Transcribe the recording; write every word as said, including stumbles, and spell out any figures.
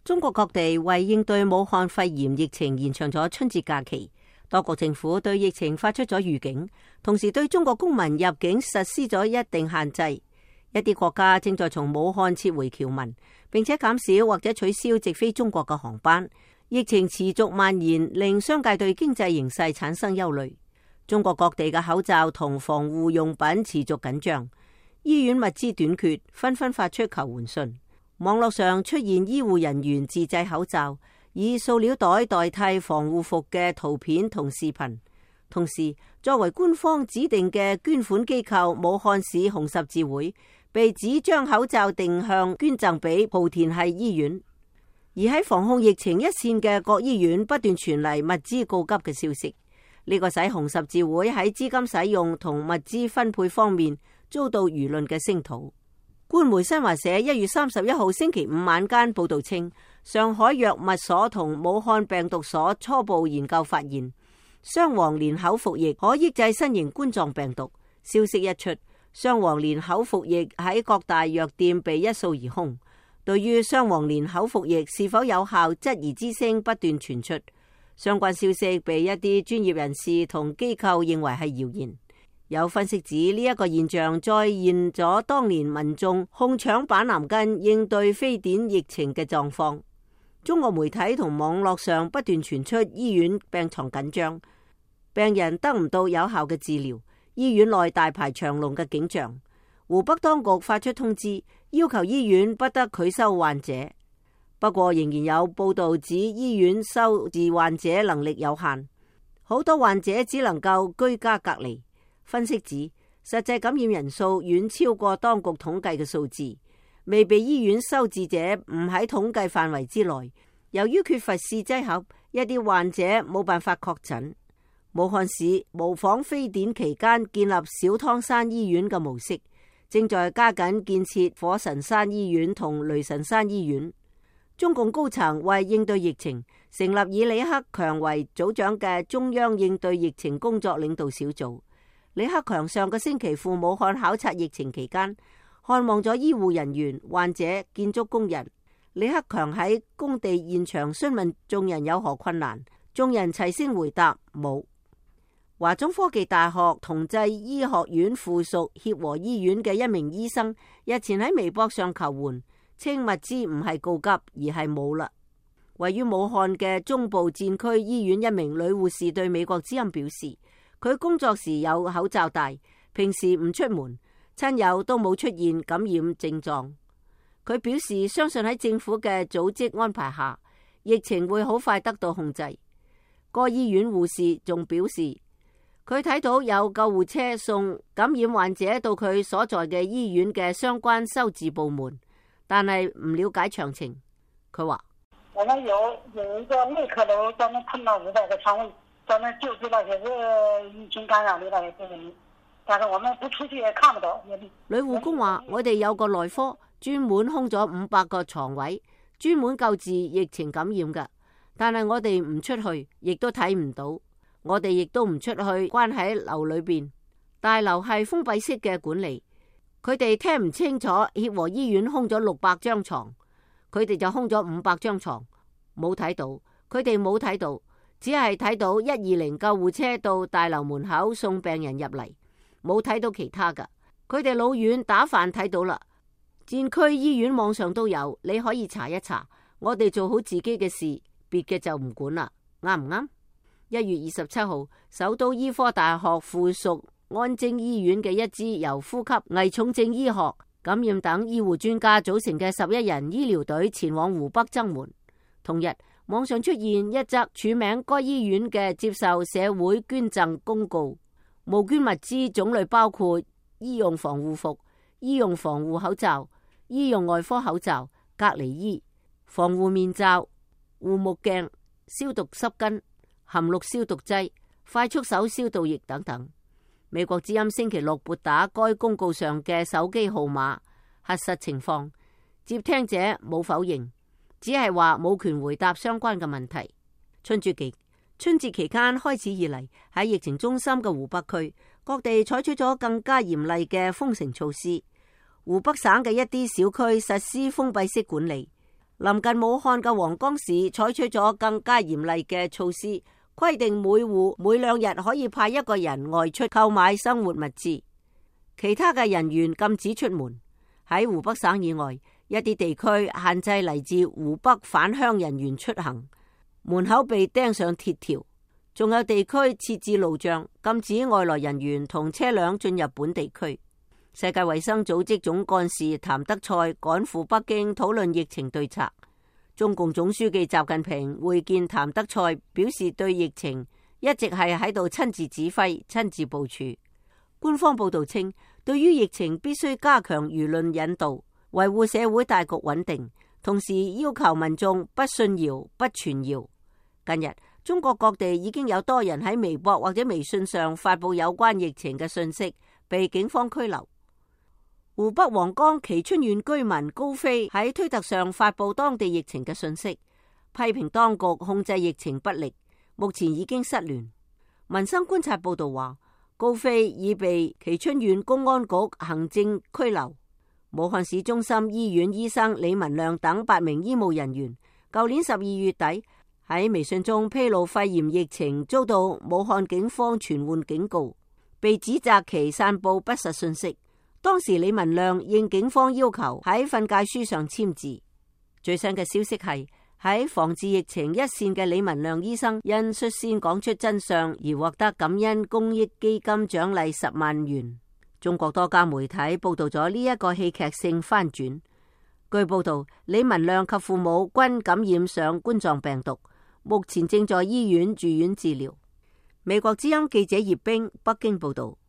中國各地為應對武漢肺炎疫情延長咗春節假期，多國政府對疫情發出咗預警，同時對中國公民入境實施咗一定限制。一啲國家正在從武漢撤回僑民，並且減少或者取消直飛中國嘅航班。疫情持續蔓延，令商界對經濟形勢產生憂慮。中國各地嘅口罩同防護用品持續緊張，醫院物資短缺，紛紛發出求援信。網絡上出現醫護人員自製口罩，以塑料袋代替防護服嘅圖片同視頻。同時，作為官方指定嘅捐款機構武漢市紅十字會被指將口罩定向捐贈俾莆田系醫院。而喺防控疫情一線嘅各醫院不斷傳嚟物資告急嘅消息，呢個使紅十字會喺資金使用同物資分配方面遭到輿論嘅聲討。官媒新華社一月三十一號星期五晚間報道稱，上海藥物所同武漢病毒所初步研究發現，雙黃連口服液可抑制新型冠狀病毒。消息一出，雙黃連口服液喺各大藥店被一掃而空。對於雙黃連口服液是否有效質疑之聲不斷傳出，相關消息被一啲專業人士同機構認為係謠言。有分析指呢一個現象再現咗當年民眾控搶板藍根應對非典疫情嘅狀況。中國媒體同網絡上不斷傳出醫院病床緊張，病人得唔到有效嘅治療，醫院內大排長龍嘅景象。湖北當局發出通知，要求醫院不得拒收患者。不過仍然有報道指醫院收治患者能力有限，好多患者只能夠居家隔離。分析指，實際感染人數遠超過當局統計嘅數字，未被醫院收治者唔喺統計範圍之內。由於缺乏試劑盒，一啲患者冇辦法確診。武漢市模仿非典期間建立小湯山醫院嘅模式，正在加緊建設火神山醫院同雷神山醫院。中共高層為應對疫情，成立以李克強為組長嘅中央應對疫情工作領導小組。李克強上個星期赴武漢考察疫情期間，看望咗醫護人員、患者、建築工人。李克強喺工地現場詢問眾人有何困難，眾人齊聲回答冇。華中科技大學同濟醫學院附屬協和醫院嘅一名醫生日前喺微博上求援，稱物資唔係告急，而係冇啦。位於武漢嘅中部戰區醫院一名女護士對美國之音表示，佢工作時有口罩戴，平時唔出門，親友都冇出現感染症狀。佢表示相信喺政府嘅組織安排下，疫情會好快得到控制。該醫院護士仲表示，佢睇到有救護車送感染患者到佢所在嘅醫院嘅相關收治部門，但係唔了解詳情。佢話：我們有有一個內科樓，專門碰到五百個床位，專門救治那些是疫情感染的那些病人，但是我們不出去也看不到。女護工話：我哋有個內科，專門空咗五百個床位，專門救治疫情感染嘅，但係我哋唔出去，亦都睇唔到。我哋亦都唔出去，關喺樓裏邊。大樓係封閉式嘅管理，佢哋聽唔清楚。協和醫院空咗六百張床，佢哋就空咗五百張床，冇睇到。佢哋冇睇到，只係睇到一二零救護車到大樓門口送病人入嚟，冇睇到其他噶。佢哋老遠打飯睇到啦。戰區醫院網上都有，你可以查一查。我哋做好自己嘅事，別嘅就唔管啦，啱唔啱？一月二十七號，首都醫科大學附屬安貞醫院嘅一支由呼吸、危重症醫學、感染等醫護專家組成嘅十一人醫療隊前往湖北增援。同日，網上出現一則署名該醫院嘅接受社會捐贈公告，募捐物資種類包括醫用防護服、醫用防護口罩、醫用外科口罩、隔離衣、防護面罩、護目鏡、消毒濕巾、含氯消毒劑、快速手消毒液等等。美國之音星期六撥打該公告上嘅手機號碼核實情況，接聽者冇否認，只係話冇權回答相關嘅問題。春節期春節期間開始以嚟，喺疫情中心嘅湖北區，各地採取咗更加嚴厲嘅封城措施。湖北省嘅一啲小區實施封閉式管理，臨近武漢嘅黃岡市採取咗更加嚴厲嘅措施，規定每戶每兩日可以派一個人外出購買生活物資，其他嘅人員禁止出門。喺湖北省以外，一啲地區限制嚟自湖北返鄉人員出行，門口被釘上鐵條，仲有地區設置路障，禁止外來人員同車輛進入本地區。世界衛生組織總幹事譚德塞趕赴北京討論疫情對策。中共總書記習近平會見譚德塞，表示對疫情一直係喺度親自指揮、親自部署。官方報道稱，對於疫情必須加強輿論引導，維護社會大局穩定，同時要求民眾不信謠、不傳謠。近日，中國各地已經有多人喺微博或者微信上發佈有關疫情嘅信息，被警方拘留。湖北黃岡蕲春縣居民高飛喺推特上發佈當地疫情嘅信息，批評當局控制疫情不力，目前已經失聯。民生觀察報道話，高飛已被蕲春縣公安局行政拘留。武漢市中心醫院醫生李文亮等八名醫務人員，舊年十二月底喺微信中披露肺炎疫情，遭到武漢警方傳喚警告，被指責其散佈不實信息。當時李文亮應警方要求喺訓誡書上簽字。最新嘅消息係喺防治疫情一線嘅李文亮醫生因率先講出真相而獲得感恩公益基金獎勵十萬元。中國多家媒體報道咗呢一個戲劇性翻轉。據報道，李文亮及父母均感染上冠狀病毒，目前正在醫院住院治療。美國之音記者葉冰北京報道。